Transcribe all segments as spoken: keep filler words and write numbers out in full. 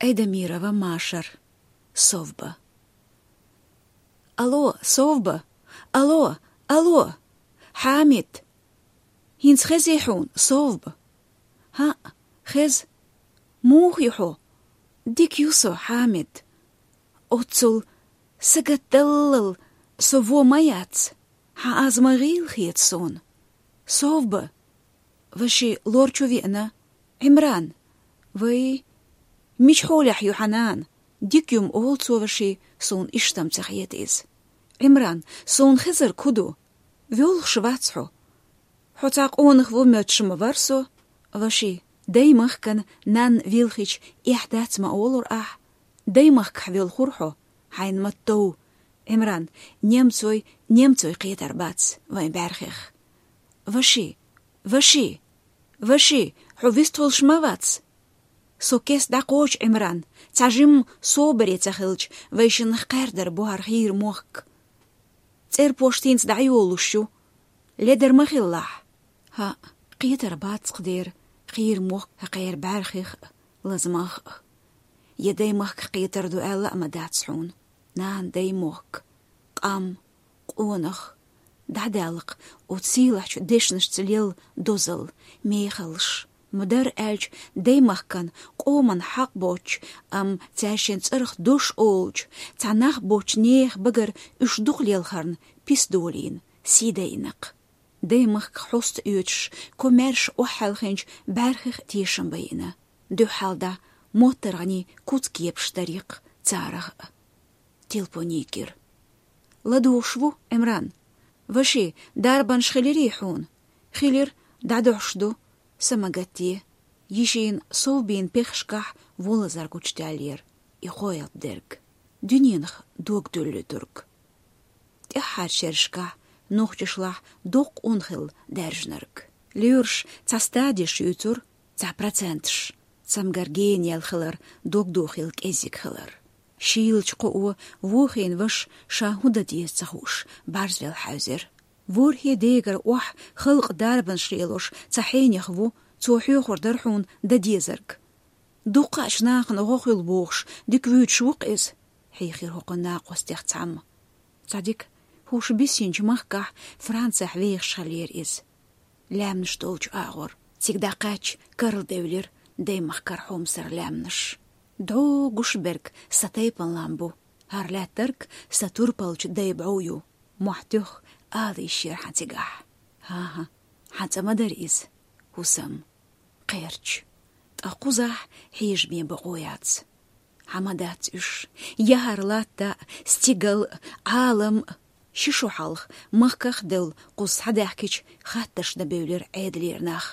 Айдамирова Машар. Совба. Алло, Совба! Алло, алло! Хьамид! ХӀинца хезий хьуна, Совба? ХӀаъ, хеза. Муха ю хьо? Дика ю со, Хьамид. Оццул сагатдаллал со во ма яц. Хьан аз ма гӀийла хета суна. Совба! Ваши лор чу веана. Ӏимран! Вай, мича хьолехь ю хьан нана? Дика ю-м олу цо, Ваши, суна иштта-м ца хета иза. Ӏимран, суна хезарг хӀун ду? Воьлхуш вац хьо. Хьо цхьа къонах ву моьттуш ма вара со. Ваши, даймахкана нанна вилхича эхь дац ма олура ахь. Даймахкахь воьлхура хьо, хьайна ма-тов. Ӏимран, немцой, немцой кхетар бац вайн бӀаьрхих. Ваши, Ваши, Ваши, хьо вист волуш ма вац? Со кеста дӀакхочу, Ӏимран, цхьа жимма собаре ца хилча, вайшиннах кхаьрдар бу хӀара хийра мохк. ЦӀерпошт хӀинца дӀайолуш ю. Ледар ма хилалахь. ХӀаъ, кхетар бац-кх дера хийра мохк хӀокхеран бӀаьрхих а, лазамах а. Я даймахках кхетар ду аьлла а ма дац хьуна. Нана, даймохк, къам, къонах, дӀадаьлла-кх оцу сийлахьчу дешнашца лелла дозалла, мехаллаш. Ма-дарра аьлча, даймахкана къоман хьакъ боцчу, амма цаьршиннан цӀарах дош олучу, цхьа нах боцчу нехан багара уьш дукха лелхарна пис долийна сий дайина-кх. Даймахках хьоста оьцуш, комаьрша охьахьаьлхинчу бӀаьрхих а тешам байина. Дуьххьал дӀа моттаргӀанийн куц-кепаш дарий-кх царах а. Телпо йигира. ЛадугӀуш ву, Ӏимран? Ваши, дарбанаш хилирий хьуна? Хилира, дӀадоьдуш ду. Са ма гатде. Йишина Совбин пехашкахь вон лазар гучудаьллера, и кхоалгӀа дерг. Дуьненах дог дуьллуьйтург. ТӀаьххьарчу шерашкахь нохчашлахь доккха ун хилла даьржинарг. Лоьраш цхьа стадеш юьйцура, цхьа проценташ: цамгар генаяьлла хилар, дог дохийла кӀеззиг хилар. Шийлачу кхоо вохийна ваша ша хӀун дан деза ца хууш, бӀарзвелла хьаьвзира. ВорхӀе дегара охьа халкъан дарбанаш лелош цхьа хьенех ву, цо хьоьхур дара хьуна дан дезарг. Дуккха а нахана гӀо хуьлу бохуш, дика вуьйцуш ву-кх иза, хьийхира хӀокху накъостех цхьамма. Цхьа дика хӀума биссинчу махкахь, Францехь вехаш хиллера иза. Лаьмнаш долчу агӀор. Цига дӀакхаьчча, карладевлира даймахкара хьомсара лаьмнаш. ДӀо гуш берг сан тайпана лам бу, хӀара лаьттарг сан турпалчу дайн бӀов ю. Мохь тоьхна ала йиш яра хьан цигахь. ХӀан-хӀа, хьан цӀа ма дара иза, хӀусам. Кхерч. Ткъа кхузахь хьежаме бакъо яц. Хьан ма дац уьш, я хӀара латта а, стигал а, Ӏалам а. Ши шо хьалха махках а девлла кхуза схьадаьхкича, хаттарш дан бевлира Ӏедалера нах.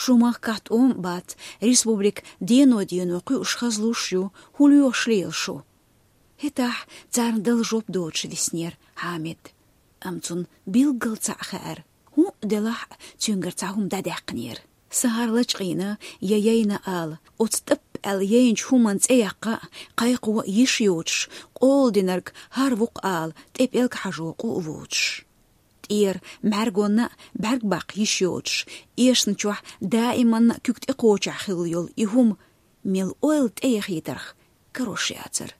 Шун махкахь тӀом а бац, республика дено-дено кхуьуш, хазлуш ю, хӀун лоьхуш лела шу? ХӀетахь царна дала жоп доцуш виснера Хьамид. Амма цунна билггал цхьаъ хаьара, хӀун а делахь а, цуьнгара цхьа хӀума дӀадаьккхинера. Сан хӀара лачкъийна я яйна ала, оцу тӀап аьлла яйначу хӀуманна цӀе яккха а, кхайкхо а йиш йоцуш, къола динарг хӀара ву-кх ала, тӀе пӀелг хьажо къу а воцуш. ТӀера мӀаьргонна а бӀаьрг баккха йиш йоцуш, эшна чохь даиманна а куьг тӀекхочехь хилла йолу и хӀума, мел ойла тӀеяхийтарх, карош яцара.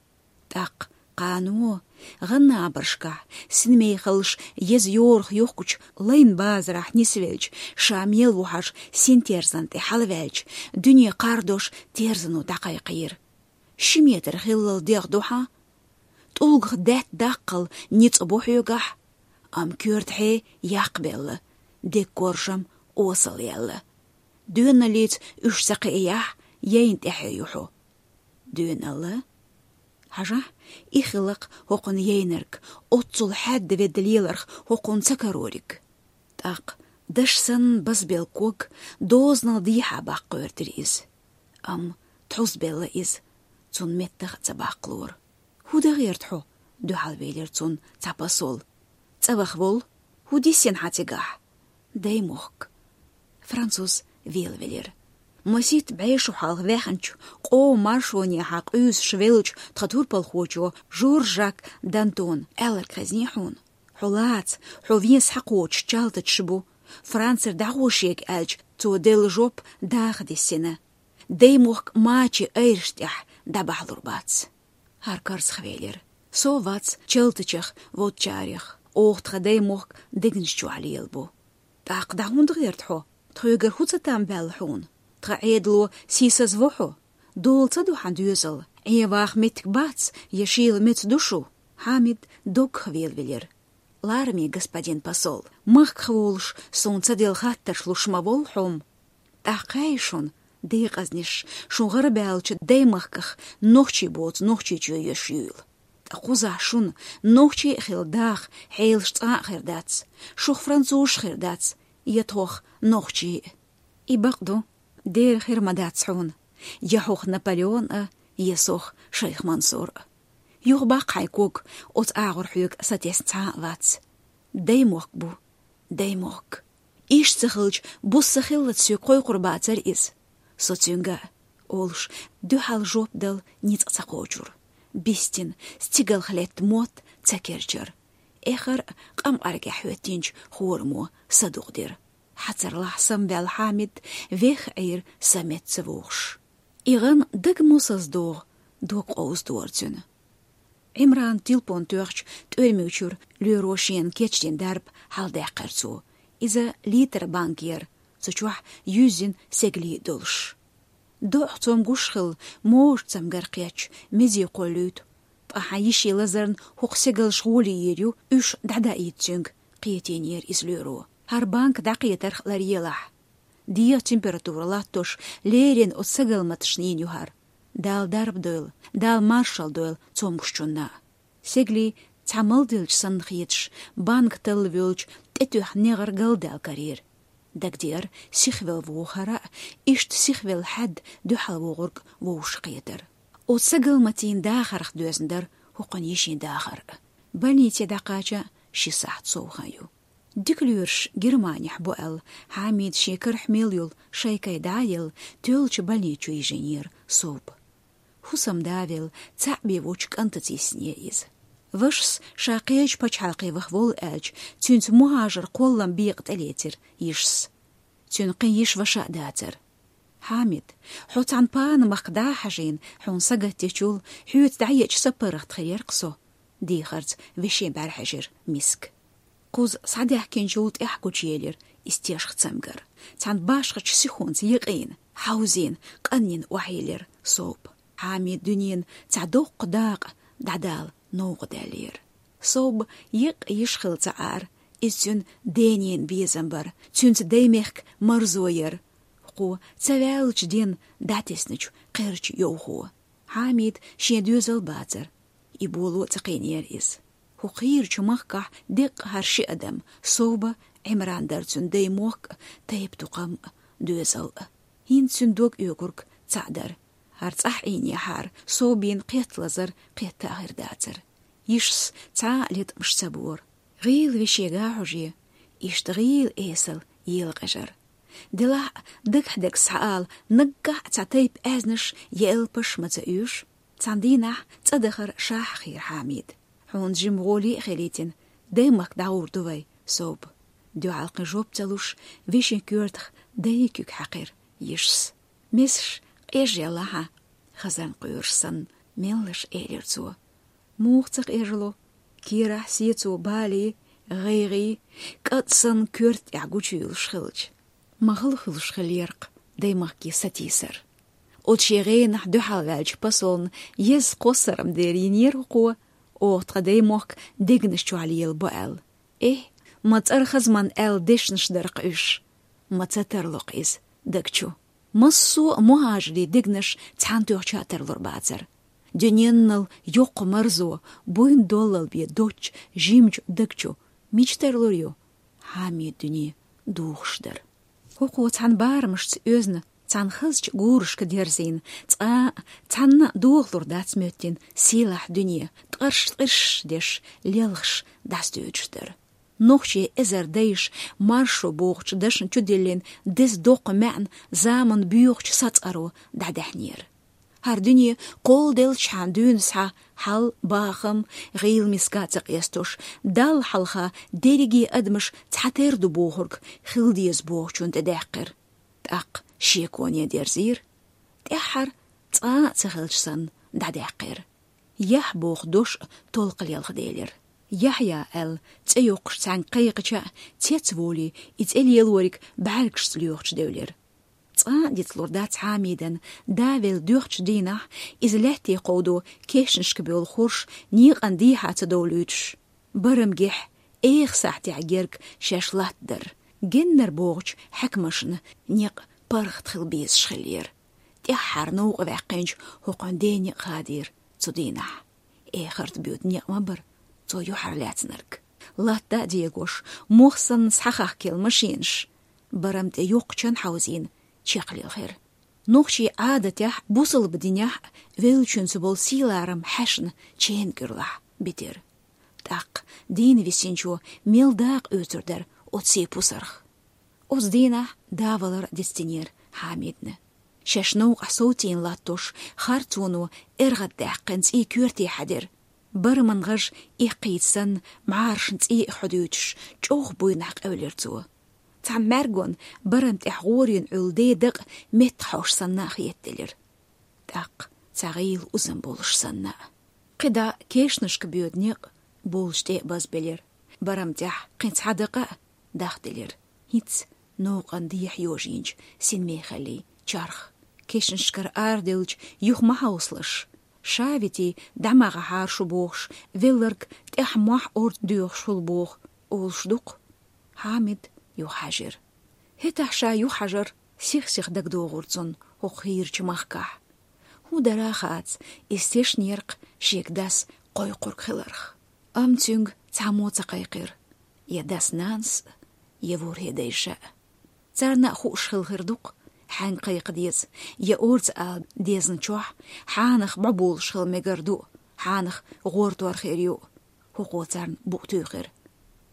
ТӀаккха кхано, гӀан набаршкахь, синмехаллаш еза йорах йохкучу лайн базарахь нисвелча, ша мел ву хьажа синтерзан тӀе хьалаваьлча, дуьне кхардош терзано дӀакхайкхийра. Ши метр хиллал дегӀ ду хьан? ТӀулгах даьтта даккхал ницкъ бу хьоьгахь, амма коьртахье яккхабелла, деггоржам осалъяьлла. Доьналлица уьш ца кхиаяхь, яйна тӀаьхье ю хьо. Доьналла? Хьажахь, и хилла-кх хӀокхунна яйнарг, оццул хьаьдда-ведда леларх хӀокхунна ца карориг. ТӀаккха даш санна базбелла ког дозанал дехьа баккха гӀоьртира иза. Амма тхьузбелла иза, цунна меттах а ца баккхалора. «ХӀун дан гӀерта хьо?» — дуьхьалвелира цунна цхьа посол. «ЦӀа ваха волу. ХӀун диссина хьан цигахь?» «Даймохк». Француз велавелира. Масийтта бӀе шо хьалха ваьхначу, къоман маршонехьа къуьйсуш веллачу тхан турпалхочо Жорж-Жак Дантона аьлларг хезний хьуна? Хьо лаца, хьо вен схьакхочуш чалтачаш бу. Францера дӀагӀо шега аьлча, цо делла жоп даха диссина. Даймохк мачийн айраш тӀехь дӀабахьалур бац. ХӀара карзахвелира. Со вац чалтачех водачарех, оха тха даймохк дегнаш чохь лелабу. ТӀаккха дӀа хӀунда гӀерта хьо? Тхоьгара хӀун ца там баьлла хьуна? Тхан Ӏедало сийсаз во хьо? Дола ца ду хьан доьзал? Ӏен ваха меттиг бац, я шийла меца ду шу? Хьамид доггах велавелира. Лараме, господин посол, махках волуш суна ца делла хаттарш луш ма волла хьо-м. ТӀаккха кхаьй шуна, декъазнаш, шун гӀарабаьллачу даймахках нохчий боцу Нохчийчоь еш юйла. Ткъа кхузахь шуна нохчий а хилла даха хьелаш цкъа а хир дац, шух французаш хир дац, я тхох нохчий а. И бакъ ду, дера хир ма дац хьуна, я хьох Наполеон а, я сох Шайх Мансур а. Юха баккха хьайн ког, оцу агӀор хьоьга сатесна цхьа а вац. Даймохк бу, даймохк. Иштта ца хилча, буса ца хиллалц соьга кхойкхур бацара иза. Со цуьнга а, олуш, дуьхьал жоп дала ницкъ ца кхочура. Бистина, стигалх летта мотт ца керчара. Эххар а къамкъаргехь хӀоьттинчу хӀораммо садукъдира. Хьацарлахь самаваьлла Хьамид веха Ӏийра са метта ца вогӀуш. И гӀан дага мосазза догӀу, дог къовзадора цуьнан. Ӏимрана тилпон тоьхча, тӀоьрмиг чуьра лоьро шена кечдина дарба хьаладаьккхира цо. Иза литр банка яра, цу чохь юьззина сегалий долуш. ДоӀах цомгуш хилла, можа цамгар кхетча, мезий кхоллуьйту. Ткъа хьан йишин лазарна хӀокху сегалш гӀоле йийр ю, уьш дӀадаийта цуьнга, кхетийнера иза лоьро. ХӀара банка дӀакхетарх ларъелахь. ДегӀан температура латтош, леррина оцу сагалматашна йина ю хӀара. Дала дарба дойла, Дала маршалла дойла цомгушчунна. Сегалий цхьа малделча санна хеташ, банка талла воьлча, тӀетоьхна негӀар галдаьлла карийра. Дагадеара, сихвелла вогӀу хӀара а, иштта сихвелла хьаьдда дуьхьал вогӀург вовшахкхетар. Оцу сагалматийн дахарх доьзна дара хӀокхуьнан йишин дахар а. Больнице дӀакхача ши сахьт сов хан ю. Дика лоьраш Германехь бу аьлла, Хьамид шен карахь мел йолу шайкай дӀа а елла, тоьллачу больници чу йижийнера Соба. ХӀусамда а велла, цхьаъ бен воцчу кӀантаца йиссинера иза. Вашас ша кхечу пачхьалкхе ваха воллу аьлча, цуьнца мухӀажар кхоллам бекъа тӀелецира йишас. Цуьнан кхин йиша-ваша а дацара. «Хьамид, хьо цхьана пана махка дӀа а хьажийна, хьуна сагатдечул, хьоьца дӀаеача сапаргӀат хир яра-кх со», — дехарца вешин бӀаьрахьежира миска. Кхуза схьадаьхкинчул тӀаьхьа гучуелира и стешха цамгар. Цхьана башхачу сихонца якъийна, хьовзийна, къанйина охьайиллира Соба. Хьамидан дуьненан цхьа доккха дакъа дӀадала новкъа даьллера. Соба екъа йиша хилла ца Ӏара, иза цуьнан денан безам бара, цуьнца даймехкан марзо яра. Кхо ца ваьллачу денна дӀатесначу кхерчан йовхо. Хьамидан шен доьзал бацара. И боло а ца кхиийнера иза. ХӀокху хийрачу махкахь деккъа хӀара ши адам, Соба, Ӏимран дара цуьнан даймохк а, тайп-тукхам а, доьзал а. ХӀинца цуьнан дог оьгург цхьаъ дара. ХӀара цӀахь Ӏийнехьара, Собин кхетта лазар кхетта а хир дацара. Йишас цхьа а леткъамаш ца бора. ГӀийла вешега а хьожий, иштта гӀийла эсала елакъежар. Делахь а, дагахь дерг схьаала, наггахь а цхьа тайпа аьзнаш я элпаш ма ца оьшу. Цхьана дийнахь цӀа дахар шахьа хийра Хьамидан. «Хьуна жимма гӀоле а хилийтина, даймахка дӀагӀур ду вай, Соба». Дуьхьал кхин жоп ца луш, вешин коьртах дайн куьг хьаькхира йишас. «Месаш къежъелла хьан, хазарна къоьруш санна», — меллаша элира цо. «Муха ца къежло? Керахь сецо балий, гӀайгӀий, кӀад санна коьрта тӀехь гучуйуьйлуш хилча». Ма хала хуьлуш хиллера-кх даймахке сатийсар. Оцу шен гӀенах дуьхьал ваьллачу посолна еза кхоссарма дера йинера хӀокхо, оха тхан даймохк дегнаш чохь лелабо аьлла. Эхь, ма цӀархазман аьлла дешнаш дара-кх уьш. Ма ца тарло-кх иза даг чу. Массо а мухӀажарийн дегнаш цхьаьнатоьхча а тарлур бацара. Дуьненал йоккха марзо, буйна доллал бен доцчу жимачу даг чу мича тарлур ю? Хьамидан дуьне духуш дара. ХӀокхо цхьана барамашца оьзна, цхьана хазачу гурашка дерзийна, цкъа а цхьанна а дохалур дац моьттина сийлахь дуьне, ткъарш-ткъирш деш, лелхаш дӀасадоьдуш дара. Нохчийн эзар дайша маршо бохучу дашна чудиллина деза доккха маьӀна заманан боьхачу сацкъаро дӀадаьхьнера. ХӀара дуьне кхолладелчхьана дуьйна схьа хьал, бахам, гӀийла миска а ца къестош, Далла хьалха дерриге адамаш цхьатерра ду бохург хила деза бохучунна тӀедаьккхира. ТӀаккха шеконе дерзийра. ТӀаьххьара цкъа а ца хилча санна, дӀадаьккхира. Яхь боху дош толкха лелха делира. Яхьъя аьлла цӀе йоккхуш цхьаьнга кхайкхича а, цецволий, и цӀе лелориг бӀаьргашца лоьхучу девлира. Цкъа а дицлур дац Хьамидан, да велла доьхучу дийнахь, иза лаьтте кховдо кешнашка боьлхурш, некъан дехьа ца довлуьйтуш. Барам гихь, эха сахьтехь герга шаьш латтадар. Геннара богӀучу хьаькамашна некъ паргӀат хила безаш хиллера. ТӀаьххьара новкъа ваьккхинчу хӀокхуьнан ден некъ хадийра цу дийнахь. Эхарта боьду некъ ма бара цо юьхьарлаьцнарг. Латта а дегош, мох санна схьахахкийла машенаш, барам тӀе йоккха чан хьовзийна, чекхлилхира. Нохчийн Ӏадатехь, бусалба динехь а веллачуьнца болу сийларам хьаьшна ченан кӀуьрлахь битира. ТӀаккха дийна висинчо мел дакъа оьцур дара оцу сий пусарх. Оцу дийнахь да валар дицдинера Хьамидна. Шаьш новкъахь совцийна латтош, харцоно эргӀаддаьккхина цӀий коьрте хьаьдира. Бараман гӀаж эккхийта санна, мӀарашна цӀий а хьодуьйтуш, чӀогӀа буйнахь къевлира цо. Цхьана мӀаьргонна барам тӀехь гӀорийна Ӏуьллу ден дакъа меттахь хьош санна а хетаделира. ТӀаккха цхьа гӀийла узам болуш санна а. КхидӀа кешнашка боьду некъ болчу тӀе а базбелира. Барам тӀехь кхин цхьа дакъа а дахделира. ХӀинца новкъан дехьа йожийначу синмехаллин чарх. Кешнашкара арадевлча юха ма хьовсалаш. Ша витий, дӀа ма гӀахьара шу бохуш, велларг тӀаьхьа мохь орца доьхуш хуьлу боху, олуш ду-кх. Хьамид юха хьаьжира. ХӀетахь ша юха хьажар сих-сиха дагадогӀура цунна хӀокху хийрачу махкахь. ХӀун дара а хац, иза тешнера-кх шега дас кхойкхург хиларх. Амма цуьнга цхьаммо ца кхайкхира: я дас-нанас, я ворхӀе дайша. Царна а хууш хилла хир ду-кх, хьаьнга кхайкха деза, я орца ала дезначохь, хьанах бӀо болуш хила мегар ду, хьанах гӀортор хир ю. ХӀокхо царна букъ туьйхира.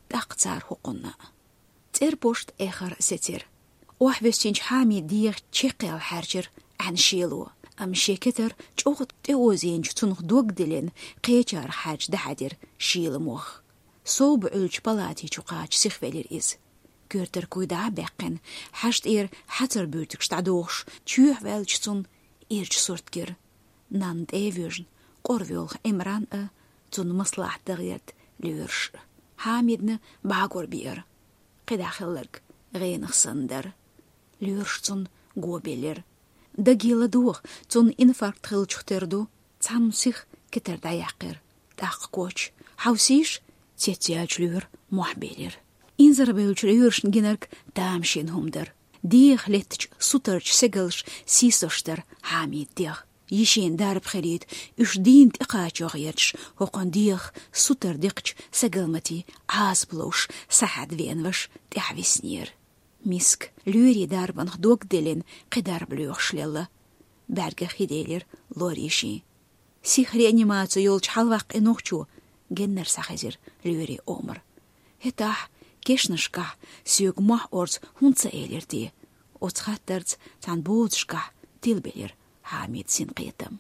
ТӀаккха цара хӀокхунна а. ЦӀерпошт эххар сецира. Охьавоьссинчу Хьамидан дегӀан чекхъяла хьаьрчира Ӏаьнан шело, амма шен кетар чӀогӀа тӀеозийначу цунах дог а диллина, кхечарах хьаьрча дӀахьаьдира шийла мох. Совба Ӏуьллучу палати чу кхача сихвелира иза. Коьртара куй дӀа а баьккхина, хьажа тӀера хьацар буьртигаш дӀадохуш, чоьхьа ваьллачу цунна ирча сурт гира. Нанна тӀе а воьжна, къора воьлху Ӏимран а, цунна маслахьат дан гӀерта лоьраш а. Хьамидна бӀагор биара. КхидӀа хилларг гӀенах санна дара. Лоьраш цунна го биллира. Даге ладогӀа, цунна инфаркт хиллачух тера ду, цхьамма сиха кетар дӀаяьккхира. ТӀаккха коч: «Хьовсийша!» — цецъяьллачу лоьра мохь белира. Инзарбевллачу лоьрашна гинарг тамашийна хӀума дара. ДегӀах леттачу сутарчу сегалша сийсош дара Хьамидан дегӀ. Йишина дарба хилийта, уьш дийна тӀекхачо гӀерташ, хӀокхуьнан дегӀах сутара декхачу сагалматийн Ӏазап ловш схьахьаьдда веана ваша тӀаьхьависнера. Миска, лоьрийн дарбанах дог а диллина, кхин дарба лоьхуш лелла. БӀаьргех хи делира лорийн шин. Сиха реанимаци йолчу хьалаваккхий нохчо, геннара схьахезира лоьрийн омра. ХӀетахь кешнашкахь соьга мохь орца хӀунда ца элира те? Оцу хаттарца цхьана боцашкахь тилабелира Хьамидан синкхетам.